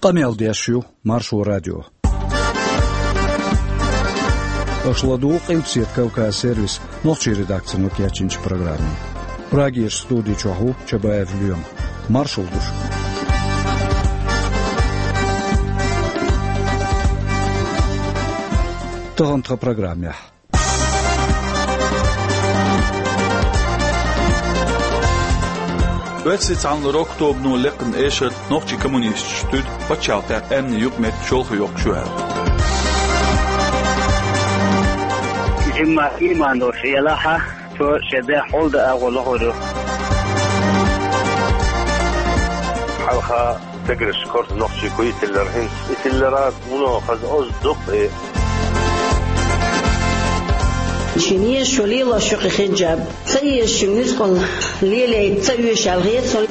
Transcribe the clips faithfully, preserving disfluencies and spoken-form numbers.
Къамел деш ю Маршо радио. Аша ладугӀу Къилбаседа Кавказ сервисан нохчийн редакцино кечйинчу программе. Прагерчу студи чохь ву Чабаев Лоьма. Маршалла ду шуьга. Тахана тхан программехь. Оьрсийн цхьаьнарокан тобано лаьцна эшар нохчийн коммунисташа туьду пачхьалкхехь амманийн юкъаметтиг чолхе йоккхуш ю аьлла. Жимма ийман долуш елахь, цо шен бехк хьулда агӀо лохур ю. Хьалха стегарш корта нохчий кхуьйтиллара хӀинца. И тиллара муно хаза оза дукха и. Шен еза шо лелош ю кхин хиджаб. Ца еза шуьга нуьцкъала лелайта ца оьшу аьлла хета суна.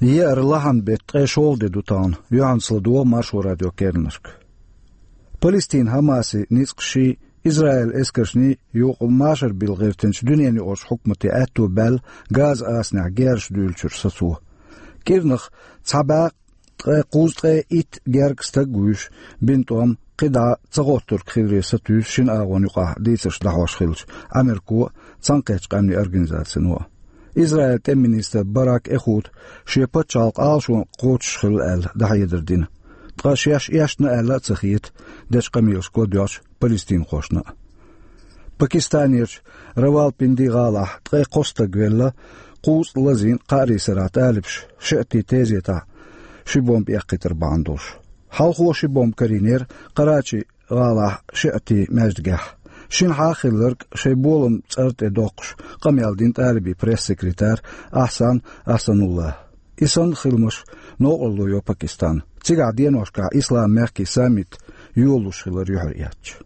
Еара лахьан беттан ткъе шолгӀа де ду тахана, юьхьанца ладогӀа Маршо радион керланашка. Палестинан Хьамасий ницкъаший, Израилан эскаршний юкъа машар билла гӀиртинчу дуьненан юкъарчу хьукмате аьтто баьлла Газа асанехь герзаш дуьйлучуьра сацо. КӀирнах цхьа бӀе ткъе кхузткъе итт гергга стаг а вуьйш, бина тӀом кхидӀа ца гӀоттург хиларе сатуьйсу шина агӀонна юкъахь дийцарш дӀахьош хиллачу Америко а, Цхьаьнакхеттачу Къаьмнийн Организацино а. Израилан тӀеман министр Барак Эхуд шен пачхьалкх Ӏалашонна кхочушхилла аьлла дӀахьедар дина. Ткъа шаьш эшна аьлла а ца хета дечу къамелашка ладоьгӀчу палестинхошна а. Пакистанерчу Равалпинди гӀалахь ткъе кхо стаг велла, кхузткъа лазийна кхаарийн сарахь талибаша шиӀатийн тезетахь ши бомба эккхийтар бахьана долуш. Хьалхо ши бомба карийнера Къарачи гӀалахь шиӀатийн маьждигехь. Шинхьа а хилларг шайн болам цӀарна тӀе доккхуш къамел дина талибийн пресс-секретарь Ахсан Ахсанулла. И санна хиламаш новкъарло йо Пакистан. Цигахь деношкахь исламан мехкийн саммит йолалуш хилар юьхьар эцча.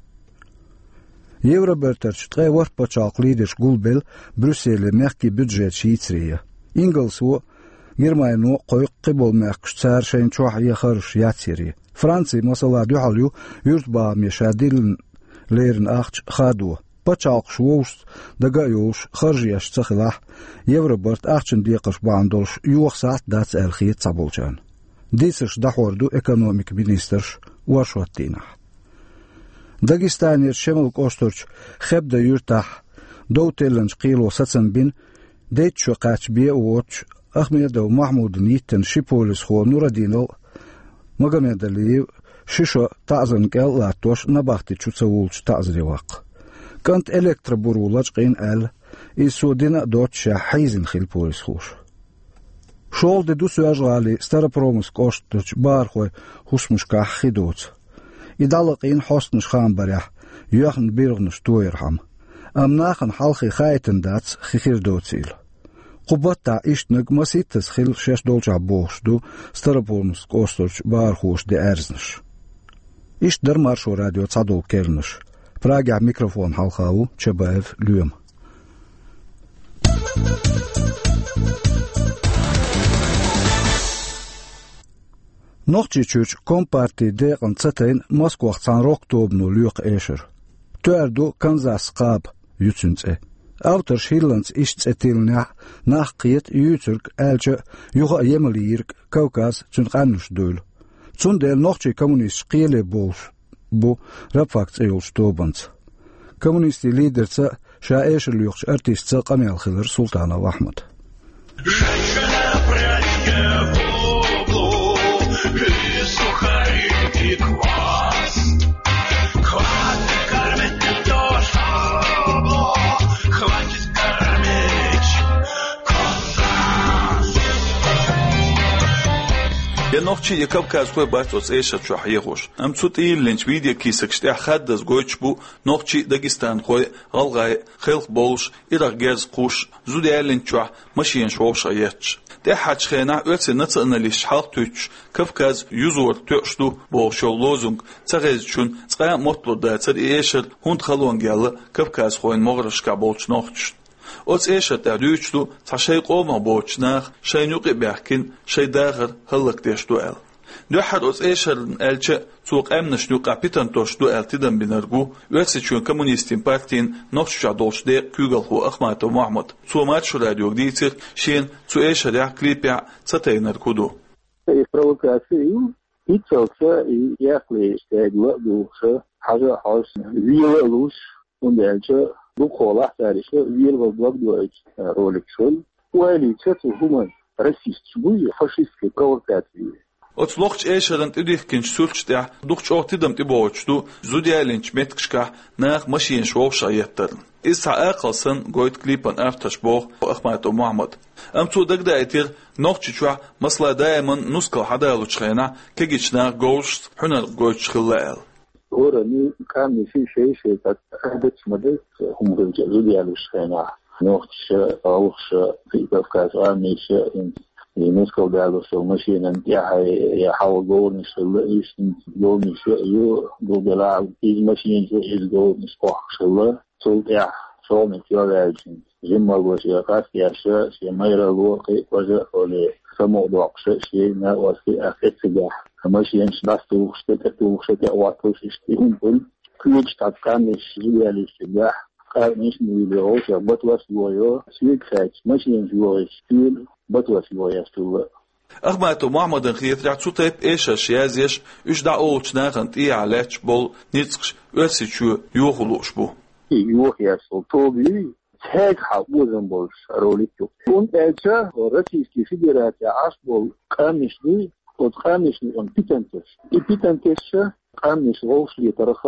Евробертарчу ткъе ворхӀ пачхьалкхан лидерш гулбелла Брюсселе мехкийн бюджеташ йийцаре. Ингалсо а, Германино а кхойкху кхиболу мехкаш цара шайна чохь ен харжаш яцъяре. Франци, масала, дуьхьал ю юьртабахаме ша диллина леррина ахча хадо. Пачхьалкхаш вовшашца дага а йолуш харжа еш ца хилахь, Евробарт ахчанан декхарш бахьана долуш йоха сахьт дац аьлла хета цхьаболчарна. Дийцарш дӀахьор ду экономикан министрша оршот дийнахь. Дагестанерчу Шемал кӀоштарчу Хебда юьртахь дов теллинчу кхело сацам бина, дейтта шо кхаьчна бен а воцучу Ахмедов Махьмудана йиттина ши полисхо Нурадинал а, Магомедалиев а ши шо таӀзарна кӀел а латтош набахти чу ца волчу таӀзаре ваккха. КӀант электробуро лачкъийна аьлла, иза цо дина а доццушехь хьийзина хилла полисхоша. ШолгӀа де ду Соьлжа-ГӀалин Старопромыслан кӀоштарчу бахархойн хӀусамашкахь хи доцу. И дӀалакъийна хьостанаш хаам барехь, йоьхна биргӀанаш тоярхьама. Амма нахана хьалхе хаийтина дац хи хир доцийла. Кху баттахь ишттаниг масийттаза хилла шаьш долчохь бохуш ду Старопромыслан кӀоштарчу бахархоша деана аьрзнаш. Иштта дара Маршо радион цхьадолу керланаш. Прагехь микрофон хьалха ву Чабаев Лоьма. Нохчийчуьрчу компартин декъана ца тайна Москвахь цхьана рок-тобано лоькху эшар. Тоьар ду «Канзас-кхаба» ю цуьнан цӀе. Авторш хӀилланца иштта цӀе тиллинехь, нах кхета юьйцург, аьлча а, юха а емал йийриг Кавказ, цуьнан къаьмнаш дуйла. Цундела нохчийн коммунисташ кхеле болуш бу «Рабфак» цӀе йолчу тобанца. Коммунистийн лидерца а, ша эшар лоькхучу артистца а къамел хилира Султанов Ахьмадан. Я нохчий, я кавказхой бац оцу эшар чохь хьехош. Амма цу тӀе йиллинчу видеокийсакаш тӀехь хаддаза гойтуш бу нохчий а, дагестанхой а, гӀалгӀай а, хелхабовлуш, ирах герз кхуш, зуда яллинчохь машенаш вовшах етташ. ТӀаьххьарчу хенахь оьрсийн националисташ хьалхатуьйсуш, «Кавказ юзор тоьуш ду» бохуш йолу лозунг ца хезначунна цкъа а мотталур дацара и эшар хӀунда халонга яьлла кавказхойн могӀаршкахь болчу нохчашна. Оцу эшар тӀехь дуьйцуш ду цхьа шайн къомах боцучу наха шайна юкъа а баьхкина, шайн дахар хӀаллакдеш ду аьлла. Дуьххьара оцу эшарна аьлча а, цо къаьмнашна юкъахь питана тосуш ду аьлла тидам бинарг ву Оьрсийчоьнан коммунистийн партин Нохчийчохь долчу декъан куьйгалхо Ахматов Мохьмад. Цо Маршо радиога дийцира, шена цу эшарехь а, клипехь а ца тайнарг хӀун ду. И провокаци ю, хӀинццалц и эккхале стегла а духуша, хьажа а хьожуш, вела а луш, хӀунда аьлча дукхахьолахь цара иштта велавала дог доуьйту роликаш хуьлу. Ойла йича цу хӀуманна расисташ буй, фашистский провокаци. Оцу лохучу эшарна тӀедихкинчу суьрташ тӀехь дукха чӀогӀа тидам тӀебогӀуьйтуш ду зуда ялийнчу меттигашкахь наха машенаш вовшах еттарна. Иза цхьа акхал санна гойту клипан авторш, боху Ахматов Мохьмада. Амма цо дагадаийтира, Нохчийчохь, масала, даиман нускал хьадалучу хенахь кегийчу наха говзашца хьуьнар гойтуш хилла аьлла. ХӀоранна къаьмнашна шай-шай тӀе Ӏадаташ ма дац, хӀума хилча а зуда ялучу хенахь. Нохчаша, гӀалгӀаша, кхин а Кавказан къаьмнаша, хӀинца и нускал далош йолу машенан тӀехь я хьалха говранаш хилла, иштта хӀинца говранаш а ю, гулделахь иза машенаш а, иза говранаш а кхохкуш хилла. Цул тӀаьхьа шолгӀаниг чӀогӀа ваьлча, жимма лош я къастаеш, шен майралло кхин а кожа а олий, самукъадоккхуш, шен накъостий а кхин а цигахь машенаш дӀасатухуш, тӀе тӀетухуш, тӀе а хӀотталуш, иштта и хӀума хуьлу. Кхечу тӀаккха къаьмнаш зуда ялийчу дехьа, къаьмнаш а муьйле гӀовшех батос йохайо, соьга хаьттича, машенаш йохайчу стуьйна батос йохаеш хилла. Ахматов Мохьмадан хетарехь, цу тайпа эшарш язъеш, уьш дӀаолучу нахана тӀехьа лаьтташ болу ницкъаш Оьрсийчоь йохо лууш бу. И йохаеш йолу тоба юй, цаьрга хьал озам болуш ролик ю. ХӀунда аьлча Российский Федерацехь Ӏаш болу къаьмнаш дуй, оцу къаьмнашна юкъана питана тосуш. И питана тесча, къаьмнаш вовшахлетарх,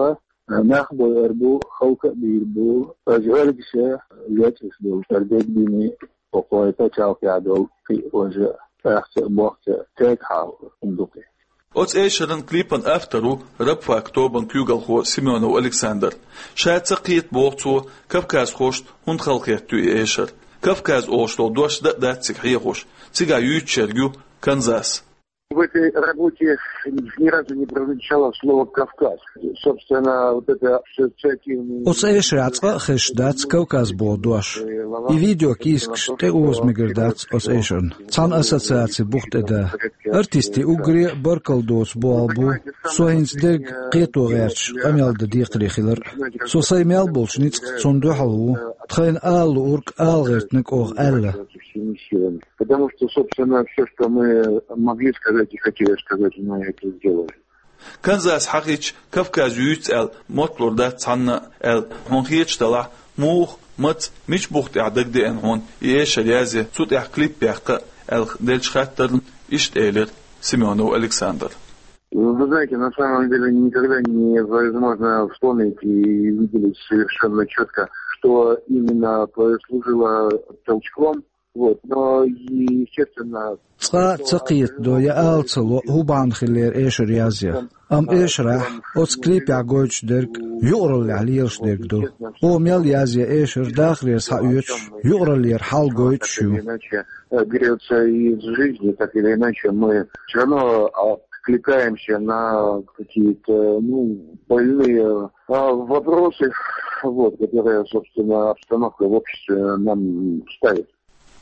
нах бойур бу, халка а бийр бу, ожа гӀоьргаша, лечкъаш долу, ара дегбийна, кхойта чалхе долу кхин а ожа, ахча а, бохча а, цаьрга хьал хӀума ду кхин. Оцу эшаран клипан автор ву «Рабфак» тобан куьйгалхо Семёнов Александр. Ша ца кхета, боху цо, кавказхошна хӀунда халахетта ю и эшар. Кавказ олуш долу дош дан а дац цига хьехош, цигахь юьйцуш ерг ю Канзас. В этой работе ни разу не прозвучало слово «Кавказ». Собственно, вот это ассоциативный... Оцу эшарехь цкъа а хезаш дац Кавказ боху дош. И видеокийсакаш тӀеоза мегар дац оцу эшарна. Цхьана ассоциаци бух тӀе да. Артистийн уггаре а баркалла доцу болх бу, со хӀинца дерг кхето гӀерташ къамел дан декхаре хилар. Со сайн мел болчу ницкъ цунна дуьхьал ву. Тхайна ала луург ала гӀиртинарг оха аьлла. Потому что, собственно, всё, что мы могли сказать и хотели сказать, мы это сделали. Канзас хьахийча, Кавказ юьйцу аьлла мотталур дац цхьанна а аьлла, хьуна хеташ делахь, муха, маца, мича бух тӀехь дагадеана хьуна и эшар язъе, цу тӀехь клип баккха аьлла деллачу хаттарна иштта элира Семёнов Александр. Вы знаете, на самом деле никогда невозможно вспомнить и выделить совершенно чётко, что именно послужило толчком. Вот, но, естественно... Цкъа а ца кхетадо я ала ца ло, хӀун бахьана хиллера эшар язъян. Амма эшарехь, оцу клипехь гойтуш дерг юкъараллехь лелаш дерг ду. Оха мел язъян эшар дахарера схьаоьцуш, юкъараллера хьал гойтуш ю. Так или иначе, э, берётся из жизни, так или иначе, мы всё равно откликаемся на какие-то, ну, больные, а, вопросы, вот, которые, собственно, обстановка в обществе нам ставит.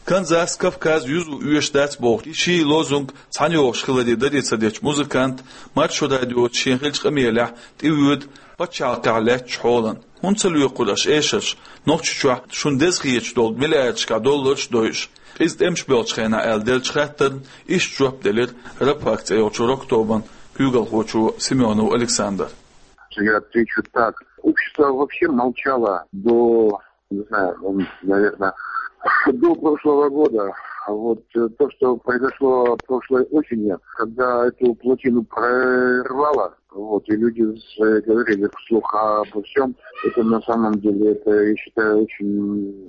Канзас Кавказ юзо оьшуш дац бохучу ший лозунг цхьаьнайогӀуш хиларе даре ца дечу музыканта Маршо радиоца шен хиллачу къамелехь тӀевоьду пачхьалкхехь лаьттачу хьолан. ХӀунда ца лоькхура аша эшарш, Нохчийчохь шуна деза хеташ долу миллиардашкахь долларш а дойуш, иза тӀемаш боьлхучу хенахь, аьлла деллачу хаттарна иштта жоп делира «Рабфак» цӀе йолчу рок-тобан куьйгалхочо Семёнов Александр. Я отвечу так. Общество вообще молчало до, не знаю, ну, наверное, до прошлого года. Вот, э, то, что произошло прошлой осенью, когда эту плотину прорвало, вот, и люди заговорили вслух обо всём, это на самом деле, это, я считаю, очень...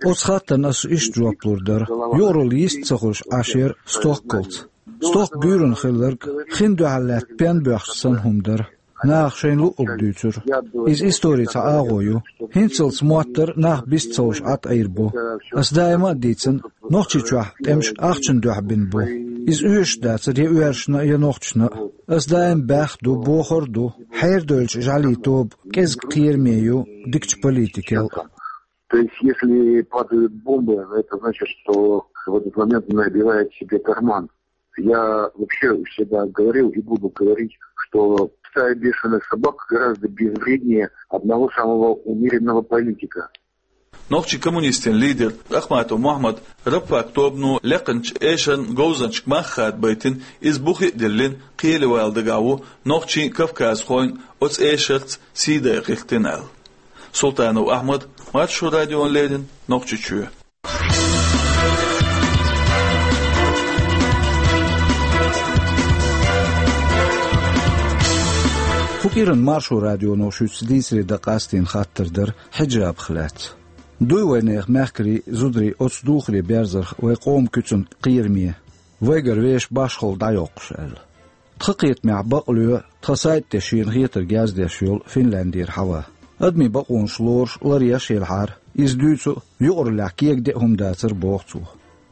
Оцу хаттарна аса иштта жоп лур дара. Юкъаралла йист ца хуьлуш Ӏаш яра стохкалц. Стохка буьйранна хилларг хин дуьхьал лаьтта пен боьхча санна хӀума дара. Наха шайна луъург дуьйцура. Иза историн цхьа агӀо ю. ХӀинццалц моттар нах бист ца луш Ӏад Ӏийр бу. Ас даима а дийцина, Нохчийчохь тӀемаш ахчана дуьхьа бина бу. Иза оьшуш дацара я оьрсашна а, я нохчашна а. Ас даим баьхна ду, бохур а ду, хьердойлучу жӀаьлийн тоба кӀезиг кхераме ю дикачу политикел. То есть, если падают бомбы, это значит, что в этот момент он набивает себе карман. Я вообще всегда говорил и буду говорить, что стая бешеных собак гораздо безвреднее одного самого умеренного политика. Нохчийн коммунистийн лидер Ахматов Мухьмад Рабфак тобано лаьцначу эшарна говзанчашка мах хадабайтина, иза бух а диллина, кхеле вала дагахь ву нохчийн, кавказхойн оцу эшарца сий дайа гӀиртина аьлла. Султанов Ахьмад, Маршо радиона леррина, Нохчийчоь. Кху кӀиранна Маршо радионо шуьца дийцаре дан къастийна хаттар дара хьиджабах лаьцна. Дуй вайнехан мехкарий, зударий оцу духаре берзарх вайн къоман куьцан кхераме, вайгара вешан башхалла дӀайоккхуш аьлла. Тхан кхетамехь бакълоь, тхан сайта тӀе шена хетарг яздеш йолу Финляндера Хьава. Адамийн бакъонаш лоруш ларъеш елхьара, иза дуьйцу а, юкъараллехь кегаде а хӀума дацара, боху цо.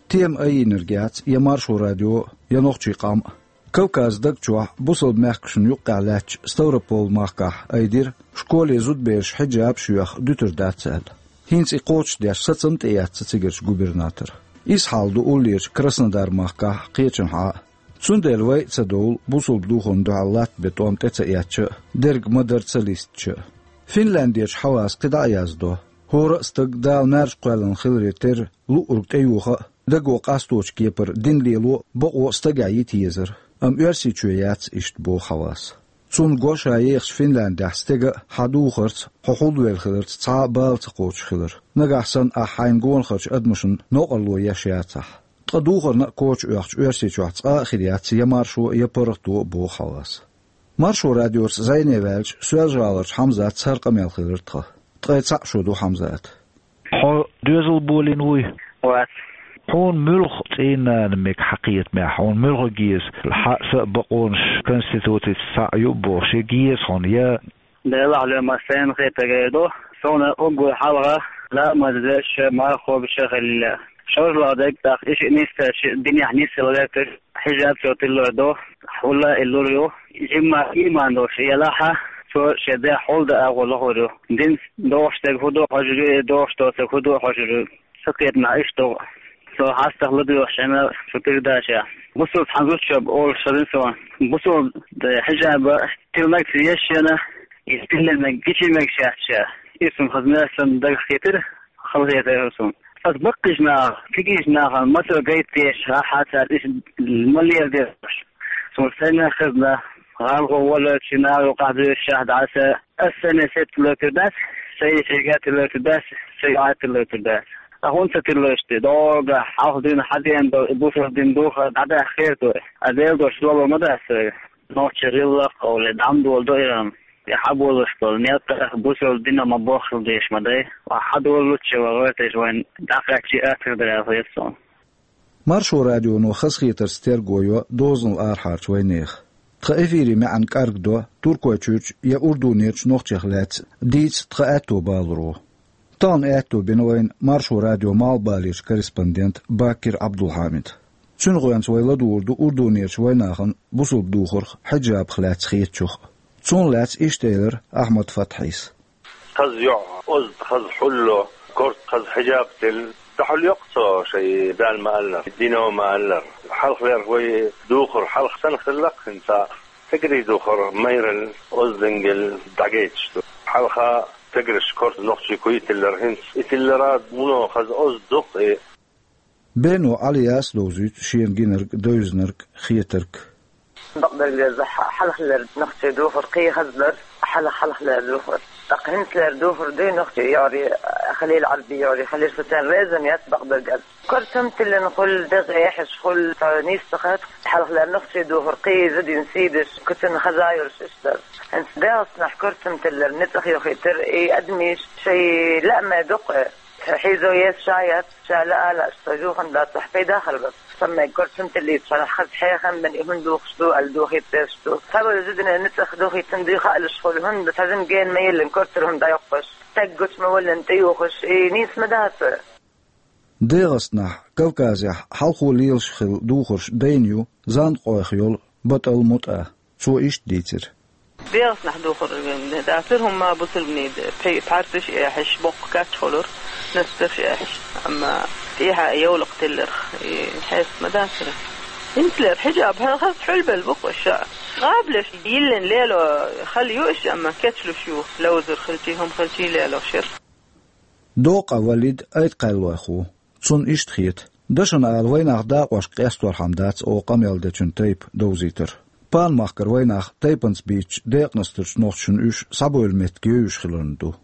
Тема айинарг яц я Маршо радио, я Нохчийн къам а. Кавказан даг чохь бусалба мехкашна юккъехь лаьттачу Ставрополь-махкахь айдира, школе зудабераш хьиджабаш а йоьхна дуьтур дац аьлла. ХӀинца и кхочушдеш сацам а тӀеэцна цигарчу губернатора. Иза хьал ду уллерчу Краснодар-махкахь а, кхечанхьа а. Цундела вай а ца довла, бусалба духарна дуьхьал латта бен тӀом тӀе ца эцча а, дерг ма-дарра ца листича а. Финляндерчу Хьавас кхидӀа а яздо: хӀора а стаг Дала маьрша кхоьллина хиларе терра луург тӀеюха а, даго къасточу кепара дин лело а бакъо а стагехь йита езара, амма Оьрсийчоь яц иштта, боху Хьавас. Цунна го ша ехачу Финляндехь стеган а, хьан духарца, хьо хьулвелла хиларца цхьа а бала ца кхочуш хилар. Нагахь санна ахь хьайна гонахарчу адамашна новкъарло еш яцахь. Ткъа духарна а коча оьхучу Оьрсийчохь цкъа а хир яц я маршо а, я паргӀато а, боху Хьавас. Маршо радиоца зӀене ваьлча, Соьлжа-ГӀаларчу Хьамзатца хӀара къамел хилира тхан. Ткъе цхьаъ шо ду Хьамзата. Хьо доьзал болийна вуй? Вац. Хьуна муьлха цӀийнан нана мега хьан кхетамехь, хьуна муьлха геза, хьан а, сан а бакъонаш конституцица цхьаъ ю а бохуш, я геза хьуна, я? Делахь лоьма сайна хетарг эр ду, суна уггар хьалха ламаз деш а, марха кхобуш а хилла. ШозлагӀа дерг, тӀаккха и шиъ нисдеш, динехь нисдала гӀерташ, хьижаб цо тилла ду, хьулла а иллур ю. Жимма ийман долуш елахь а, цо шен дегӀ хьулда агӀо лохур ю. Динца догӀуш дерг хӀун ду хьожур ю, и догӀуш доцург хӀун ду хьожур ю. Сан кхетамехь иштта ду. Со хьастагӀа ладоьгӀучу хенахь цу передачехь бусалба цхьана зудчо олуш хезна суна. Бусалба хьижаба тилнарг ца еза шена, и тиллинарг гича мегаш яц ша. Иза суна хаза моьтту, сан дагах хетира, халахетар суна. Аса баккхийчу наха, кегийчу нахана мацалла гайта дезаш, ахьа цара иза ма леладеш. Суна сайна хезна, гӀалгӀа волавелча, наха юкъахь буьйцуш дӀа аса, аса сайна сетта лоьцур дац, сайн шайга тилла лоьцур дац, сайн йоӀа тилла лоьцур дац. Ткъа хӀунда ца тиллалаш те? Догахь хьалха дуьйна хьан деана долу и бусалба дин духар дӀадахьа хир ду. Ткъа Делан дош доло ма дац вайга. Нохчийн гӀиллакх а олий, дӀа ма доладо и хӀума. И хьан болуш болу некъ а бусалба динах ма боххал дезаш ма дай. Ва хьан долучча ван гӀоьрташ вайн дӀакхаьччи атар дара хета суна. Маршо радионо хазахетарца терго йо дозанал арахьарчу вайнехан. Тхан эфирийн маьӀна кӀаргдо Туркойчуьрчу я Урдунерчу нохчех лаьцна дийца тхан аьтто баларо. Тахана аьтто бина вайна Маршо радион малхбалерчу корреспондента Баккира Ӏабдулхьамида. Цуьнан гӀоьнца вай ладугӀур ду Урдунерчу вайнахана бусалба духарх, хьиджабах лаьцна хетачух а. Цунах лаьцна иштта элира Ахьмад Фатхьис. Хаза йоӀ, озда хаза хьулло, корта хаза хьиджаб тилла, дӀахьулйо-кх цо шайн Дала ма-аллара, дино ма-аллара. Хьалхалерчу вай духар хьалха санна хилла-кх хӀинца а. Стегарий духар майралла, оздингал дӀагайташ ду. Хьалха стегарш корта нохчийн куй тиллара, хӀинца и тиллар а вуно хаза озда ду-кх и. Бено Ӏалияс а довзуьйту шена гинарг, девзинарг, хетарг. Бакъдерг деза, хьалхалера нохчийн духар кхин хаза дара, хьалха-хьалхалера духар. ТӀаккха хӀинцалера духар дуй нохчийн йоӀарий, халийла Ӏарбийн йоӀарий, халийла, со царна реза ма яц, бакъдерг аьлча. Корта хӀума тиллина хуьлу, дегӀ эхьаш хуьлу, цхьа нийса ца хаьа. Хьалхалера нохчийн духар кхин зудийна сий деш, куьцанна хаза йолуш иштта дара. ХӀинца ДегӀастанахь корта хӀума тиллар ницкъах йохийтира, и адамаш шайн лаамехь дукха. Хьийзо еза ша яц, ша лаа а лаьа, ша жухан дацахь, пайда хир бац. Сан мега корта хӀума тиллийта, шарахь хаза хьехам бина, и хӀунда духуш ду аьлла, дохийта дезаш ду. Цхьаболу зудийна ницкъах дохийтина дуй хаалуш хуьлу, хӀунда цхьа жима гена ма йиллина корта хӀума дӀайоккхуш, стаг гучу ма воллина тӀеюхуш, и нийса ма дац. ДегӀастанахь, Кавказехь хьалхо лелаш хилла духарш дайна ю Занкъойх йолу БатӀал МутӀа. Цо иштта дийцира. ДегӀастанахь духар дацара хӀума, бусалбанийн пхье-, пхьарсаш а эхьаш, боккха кач хуьлура, настарш а эхьаш. Амма тӀехьа йовлакх тилларх, и хьеста ма дацара. Интлер хьиджаб хьалхас хьулбал букъ ша. Къаблеш йиллин лело хал юш, амма кечлуш ю, лавзур хилчи, хӀум хилчи лело шир. Докъа Валид айт кхаьллойх ву. Цунна иштта хета. Дашана ала вайнах дакъош къесторхьама дац о къамел дечун тайпа довзийтар. Панмахкар вайнах тайпанца бийцча декъанастарчу нохчашна уьш схьабойла меттиг йойуш хиларна ду.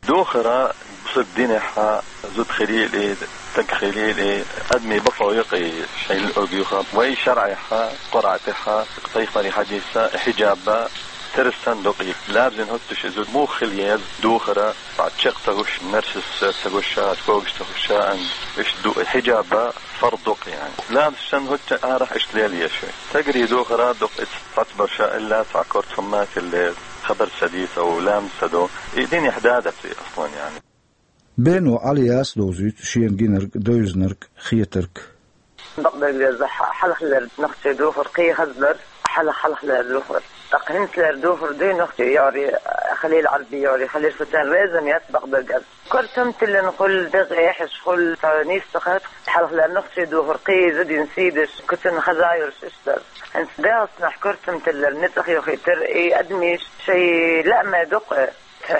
Духара бусург динехьа, зуда хилийли, таг хилийли, адми бакъо юкъи шайла огюха, вай шаръехьа, Къуръатехьа, пайхамари хьадиса, хьиджаба, терсан дукъи. Лабзин хӀуттуш изу мух хил ез, духара, цхьа чекх ца гуш, мерсис ца гуша, когаш ца гуша, ан, иш ду, хьиджаба, фард дукъ, яни. Лабзин хӀутта арахь иш лел еши. Тагри духара дукъ иц. Хьацбарша илла цхьа кортамма тилле хабар ца дийца у лам ца до. И дин ихьдадат и аслан, яни. Бено Ӏалияс довзуьйту шена гинарг, девзинарг, хетарг. Бакъдерг деза хьа-, хьалхалер нохчий духар, кхий хазлар, хьалха-, хьалхалер духар. ТӀаккха хӀинцалер духар дуй нохчий йори, халил Ӏарби йори, халил шутан резан яц бакъдерг аз. Кортам тиллан хул дегӀ эхьаш хул ца нийс ца хат, хьалхалер нохчий духар, кхий зудин сийдаш, куцан хаза йорш иштар. ХӀинца дегӀаснахь кортам тиллар ницӀах йохийтар, и адмиш шай лаьммай дукъ.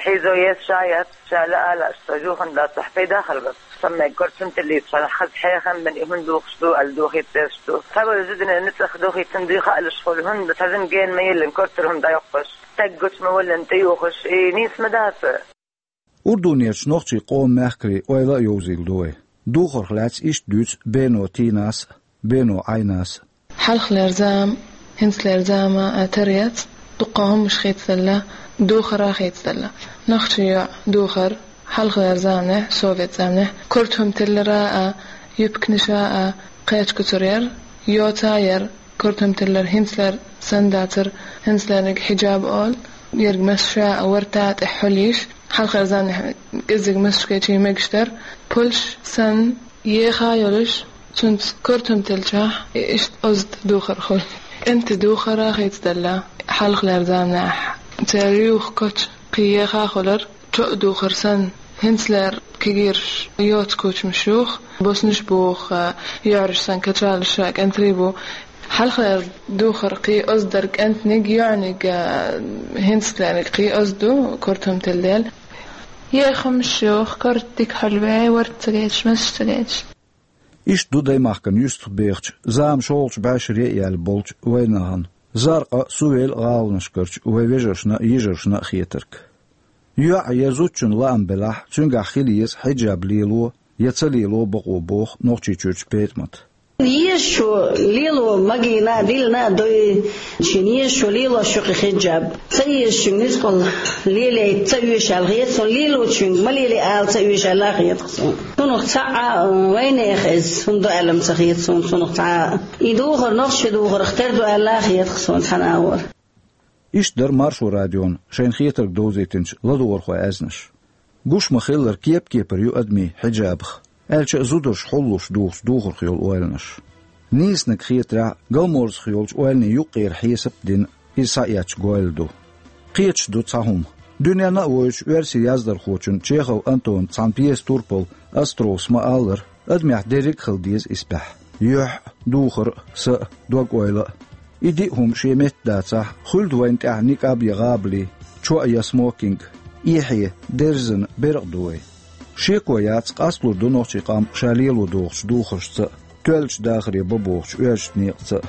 Хьийзо ес шаят, ша ла ала, аш ца жухан дац, хьпай дахар бац. Саммай кортам тиллиц, ша хаз хьехан бен и хӀун духаш ду, ал духийтеш ду. Ца вал зудина ницӀах духийтан дуй хаалаш хул, хӀунда цазин ген ма йиллин кортар хӀун дӀайоккхаш. Таг гуч ма валлин тӀаюхаш, и нийс ма дац. Урдунерчу нохчий къоман мехкарий ойла а йовзийла ду вай. Духарх лаьцна иштта дуьйцу Бено Тинас а, Бено Ӏайнас а. Хьалхалер зама, хӀинцалер зама а тар яц, дуккха хӀумаш хийцадалла, духара а хийцадалла. Нохчий йоӀ духар, хьалхалер заманехь, совет заманехь, кортам тиллара а, юпкниша а, кхечу куцар яр, йоца а яр, кортам тиллар, хӀинцалер санна дацар, хӀинцалерниг хьиджаб олу, ерг масса ша а варта а тӀехь хьулйиш, хьалхалер заманехь кӀеззиг массачу кечий мегаш дара, пулш санна, еха а йолуш, цуьнца кортам тиллачохь, иштта озда духар хуьлу. КӀентий духара а хийцадалла, хьалхалер заманехь, церан юха коча кхин еха а хуьлура, чоа духар санна, хӀинцалера кегийраш йоцу кучамаш юха, боснаш буху, йоьӀраш санна качалаш ша кӀентарий бу. Хьалхалера духар кхин озда дара кӀентаниг, йоьӀниг, а, хӀинцалерниг кхин озда ду, кортам тилла дела. Ехамаш юха, корта дика хьулвей, варта ца гечаш, масаш ца гечаш. Иштта ду даймахкана юьстах бехачу, зама шолгӀачу бӀешаре а яьлла болчу вайнахана, Заркъа, Сувел гӀаланашкарчу вай вежаршна а, йижаршна а хетарг. ЙоӀ я зудчун лаам белахь, цуьнгахь хила еза хьиджаб лело я ца лело бакъо боху Нохчийчуьрчу ПетӀамат. Езачо лело магийна а, диллина а дуй, шен езачо лелош ю кхин хьиджаб. Ца езачуьнга низкъал лелайта ца оьшу аьлла хета суна, лелочуьнга ма лелай ала ца оьшу аьлла хета суна. Цунах цхьа а, вайнеха иза хӀума ду аьлла ца хета суна, цунах цхьа а. И духар нохчий духарх тера ду аьлла хета суна цхьана агӀор. Иштта дара Маршо радиона шайна хетарг довзийтинчу ладогӀархойн аьзнаш. Гуш ма-хиллара, кеп-кепара ю адамийн хьиджабах, аьлча а зударша хьуллуш духуш духарх йолу ойланаш. Нийсаниг хетарехь, галморзах йолчу ойланийн юккъера хьесап а дина, иза схьаэцча гойла ду. Кхеташ ду цхьа хӀума. Дуьненна а воьдучу оьрсийн яздархочун Чехов Антонан цхьана пьеса «Турпал» Островс ма-аллара, адамехь дерриг а хила деза исбаьхьа: юьхь а, духар а, са а, дог-ойла а. И диъ хӀума шен метта дацахь, хуьлда вайна тӀехь никъаб я гӀабали, чоа я смокинг, эхье, дерзана беркъа ду вай. Шеко яц, къасталур ду нохчийн къам ша лело догӀучу духаршца а, тоьллачу дахаре бан бохучу оьрсашна некъаца а.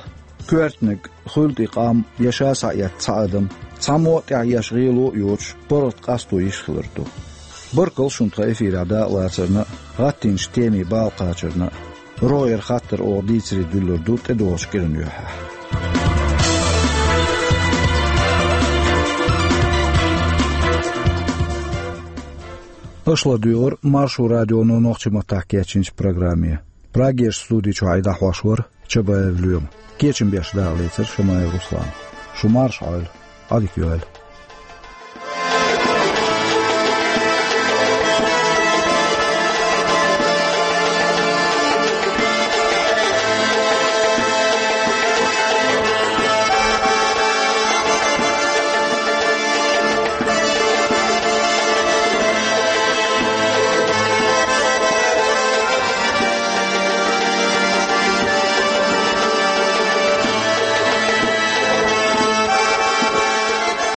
Коьртаниг, хуьлда и къам я ша схьаэцна цхьа адам, цхьаммо а тӀехь еш гӀело а йоцуш, паргӀат къасто йиш хилар ду. Баркалла шуна тхан эфирехь дакъалацарна а, гӀаттийначу темийн бала кхачарна а. РогӀера хаттар оха дийцаре дуьллур ду тӀедогӀучу кӀиран юьххьехь. Аша ладуьйгӀира Маршо радионо нохчийн маттахь кечйинчу программе. Прагерчу студи чохь и дӀахьош вара Чабаев Лоьма. Кечам беш дакъалецира Шамаев Руслана. Шу марша Ӏойла, Ӏадика йойла.